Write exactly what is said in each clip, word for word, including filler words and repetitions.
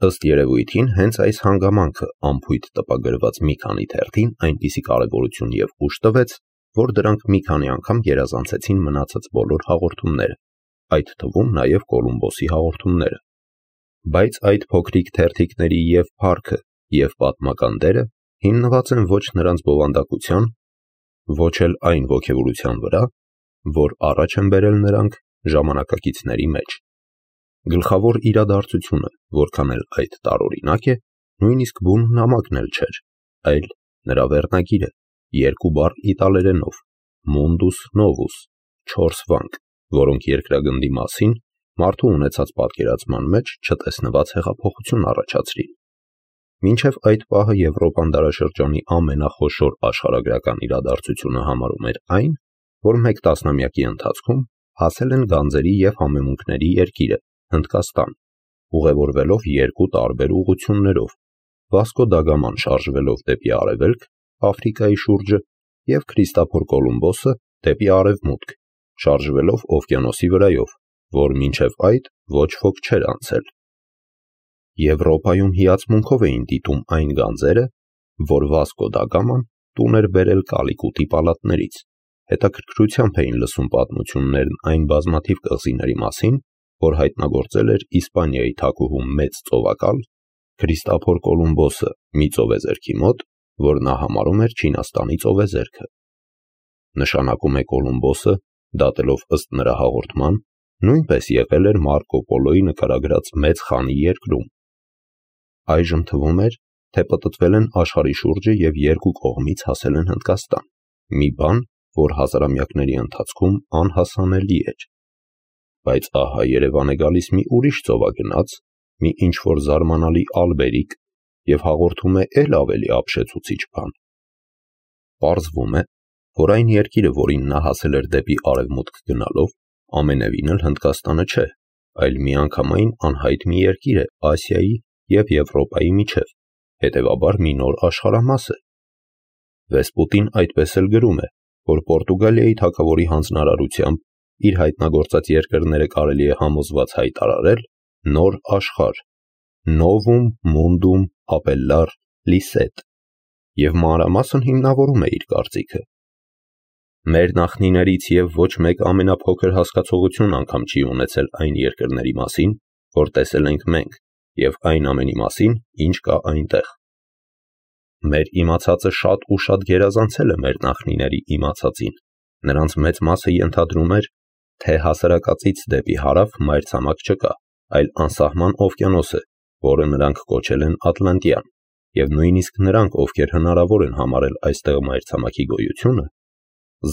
Ըստ երևույթին հենց այս հանգամանքը անփույթ տպագրված մի քանի թերթին այնպիսի կարևորություն և ուժ տվեց, որ դրանք մի քանի անգամ գերազանցեցին մնացած բոլոր հաղորդումները, այդ թվում նաև Կոլումբոսի հաղորդումները։ Բայց այդ փոքրիկ թերթիկների և փառքը, և պատմական դերը հիմնված են ոչ նրանց բովանդակության, ոչ էլ այն ոգևորության վրա, որ առաջ են բերել նրանք ժամանակակիցների մեջ։ Գլխավոր իրադարձությունը, որքան էլ այդ տարօրինակ է, նույնիսկ բուն նամակն էլ չէր, այլ նրա վերնագիրը, երկու բառ իտալերենով՝ Mundus Novus, չորս վանք, որոնք երկրագնդի մասին մարդու ունեցած պատկերացման մեջ չտեսնված հեղափոխություն առաջացրին։ Մինչև այդ պահը Եվրոպան դարաշրջանի ամենախոշոր աշխարհագրական իրադարձությունը համարում էր այն, որ մեկ տասնամյակի ընթացքում հասել են գանձերի և համեմունքների երկիրը՝ Հնդկաստան, ուղևորվելով երկու տարբեր ուղղություններով՝ Վասկո դա Գաման շարժվելով դեպի արևելք, Աֆրիկայի շուրջը, և Քրիստոֆոր Կոլումբոսը դեպի արևմուտք, շարժվելով օվկիանոսի վրայով, որ մինչև այդ ոչ ոք չէր անցել։ Եվրոպայում հիացմունքով էին դիտում այն գանձերը, որ Վասկո դա Գաման տուն էր բերել Կալիկուտի պալատներից, հետաքրքրությամբ էին լսում պատմություններն այն բազմաթիվ կղզիների մասին, որ հայտնագործել էր Իսպանիայի թագուհու մեծ ծովակալ Քրիստոֆոր Կոլումբոսը մի ծովեզերքի մոտ, որ նա համարում էր Չինաստանի ծովեզերքը։ Նշանակում է Կոլումբոսը, դատելով ըստ նրա հաղորդման, նույնպես եղել էր Մարկո Պոլոյի նկարագրած Մեծ խանի երկրում։ Այժմ թվում էր, թե պտտվել են աշխարհի շուրջը և երկու կողմից հասել են Հնդկաստան, մի բան, որ հազարամյակների ընթացքում անհասանելի էր։ Բայց ահա Երևան է գալիս մի ուրիշ ծովագնաց, մի ինչ-որ զարմանալի ալբերիկ, և հաղորդում է էլ ավելի ապշեցուցիչ բան։ Պարզվում է, որ այն երկիրը, որին նա հասել էր դեպի արևմուտք գնալով, ամենևին էլ Հնդկաստանը չէ, այլ միանգամայն անհայտ մի երկիր է Ասիայի և Եվրոպայի միջև, հետևաբար մի նոր աշխարհամաս է։ Վեսպուտին այդպես էլ գրում է, որ Պորտուգալիայի թագավորի հանձնարարությամբ իր հայտնագործած երկրները կարելի է համոզված հայտարարել նոր աշխարհ (Novum Mundum Appellar Licet) և մանրամասն հիմնավորում է իր կարծիքը։ Մեր նախնիներից և ոչ մեկ ամենափոքր հասկացողություն անգամ չի ունեցել այն երկրների մասին, որ տեսել ենք մենք, և այն ամենի մասին, ինչ կա այնտեղ։ Մեր իմացածը շատ ու շատ գերազանցել է մեր նախնիների իմացածին, նրանց մեծ մասը ենթադրում էր, թե հասարակածից դեպի հարավ մայրցամաք չկա, այլ անսահման օվկիանոս է, որը նրանք կոչել են Ատլանտյան, և նույնիսկ նրանք, ովքեր հնարավոր են համարել այստեղ մայրցամաքի գոյությունը,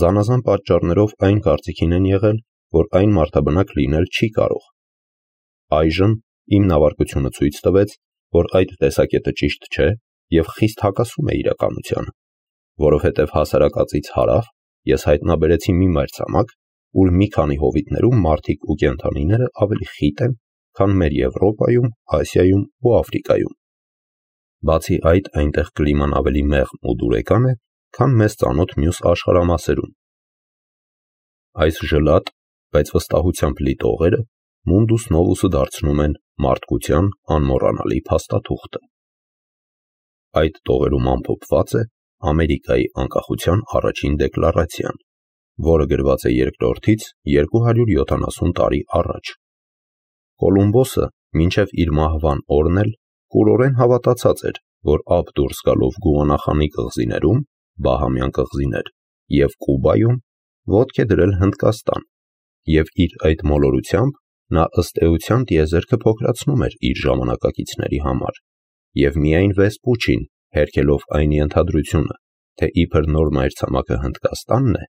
զանազան պատճառներով այն կարծիքին են եղել, որ այն մարդաբնակ լինել չի կարող։ Այժմ իմ նավարկությունը ցույց տվեց, որ այդ տեսակետը ճիշտ չէ և խիստ հակասում է իրականությանը, որովհետև հասարակածից հարավ ես հայտնաբերեցի մի մայրցամաք, ուր մի քանի հովիտներում մարդիկ ու կենդանիները ավելի խիտ են, քան մեր Եվրոպայում, Ասիայում ու Աֆրիկայում։ Բացի այդ, այնտեղ կլիման ավելի մեղմ ու դուրեկան է, քան մեզ ծանոթ մյուս աշխարհամասերում։ Այս ժլատ, բայց վստահությամբ լի տողերը Mundus Novus-ը դարձնում են մարդկության անմոռանալի փաստաթուղթը։ Այդ տողերում ամփոփված է Ամերիկայի անկախության առաջին դեկլարացիան, որը գրված է երկրորդից երկու հարյուր յոթանասուն տարի առաջ։ Կոլումբոսը մինչև իր մահվան օրն էլ կուրորեն հավատացած էր, որ ափ դուրս գալով Գուանախանի կղզիներում (Բահամյան կղզիներ) և Կուբայում ոտք է դրել Հնդկաստան, և իր այդ մոլորությամբ նա ըստ էության տիեզերքը փոքրացնում էր իր ժամանակակիցների համար, և միայն Վեսպուչին, հերքելով այն ենթադրությունը, թե իբր նոր մայրցամաքը Հնդկաստանն է,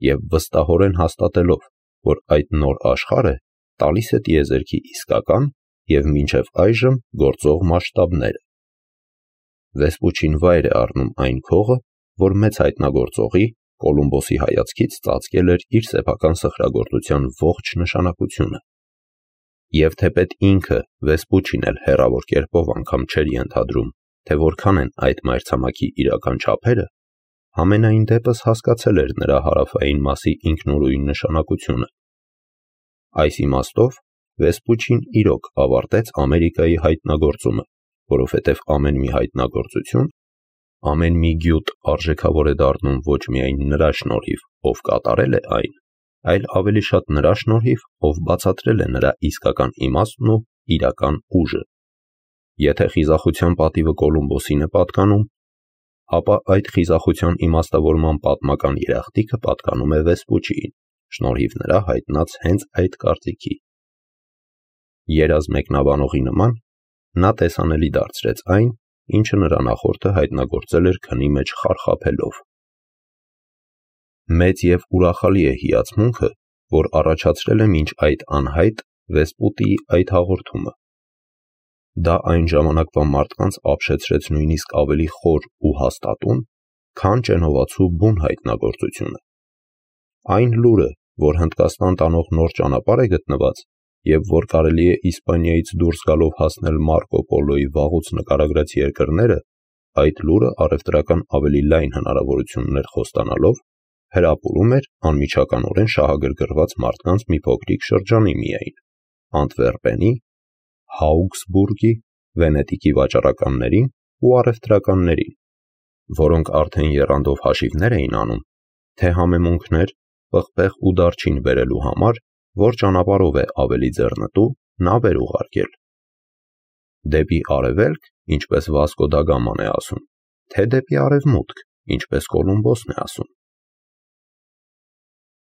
և վստահորեն հաստատելով, որ այդ նոր աշխարհը տալիս է տիեզերքի իսկական և մինչև այժմ գործող մասշտաբները։ Վեսպուչին վայր է առնում այն քողը, որ մեծ հայտնագործողի՝ Կոլումբոսի հայացքից ծածկել էր իր սեփական սխրագործության ողջ նշանակությունը։ Եվ թեպետ ինքը Վեսպուչին էլ հեռավոր կերպով անգամ չէր ենթադրում, թե որքան են այդ մայրցամաքի իրական չափերը, համենայն դեպս հասկացել էր նրա հարավային մասի ինքնուրույն նշանակությունը։ Այս իմաստով Վեսպուչին իրոք ավարտեց Ամերիկայի հայտնագործումը, որովհետև ամեն մի հայտնագործություն, ամեն մի գյուտ արժեքավոր է դառնում ոչ միայն նրա շնորհիվ, ով կատարել է այն, այլ ավելի շատ նրա շնորհիվ, ով բացատրել է նրա իսկական իմաստն ու իրական ուժը։ Եթե խիզախության պատիվը Կոլումբոսին է պատկանում, ապա այդ խիզախության իմաստավորման պատմական երախտիկը պատկանում է Վեսպուչիին, շնորհիվ նրա հայտնած հենց այդ կարծիքի։ Երազ մեկնաբանողի նման, նա տեսանելի դարձրեց այն, ինչը նրա նախորդը հայտնագործել էր քնի մեջ խարխափելով։ Մեծ և ուրախալի է հիացմունքը, որ առաջացրել է մինչ այդ անհայտ Վեսպուտիի այդ հաղորդումը։ Դա այն ժամանակվա մարդկանց ապշեցրեց նույնիսկ ավելի խոր ու հաստատուն, քան Ճենովացու բուն հայտնագործությունը։ Այն լուրը, որ Հնդկաստան տանող նոր ճանապարհ է գտնված, և որ կարելի է Իսպանիայից դուրս գալով հասնել Մարկո Պոլոյի վաղուց նկարագրած երկրները, այդ լուրը առևտրական ավելի լայն հնարավորություններ խոստանալով, հրապուրում էր անմիջականորեն շահագրգռված մարդկանց մի փոքրիկ շրջանի միայն՝ Անտվերպենի, Հաուգսբուրգի, Վենետիկի վաճառականներին ու առևտրականներին, որոնք արդեն եռանդով հաշիվներ էին անում, թե համեմունքներ, պղպեղ ու դարչին բերելու համար, որ ճանապարհով է ավելի ձեռնտու նավեր ուղարկել։ Դեպի արևելք, ինչպես Վասկո դա Գաման է ասում, թե դեպի արևմուտք, ինչպես Կոլումբոսն է ասում։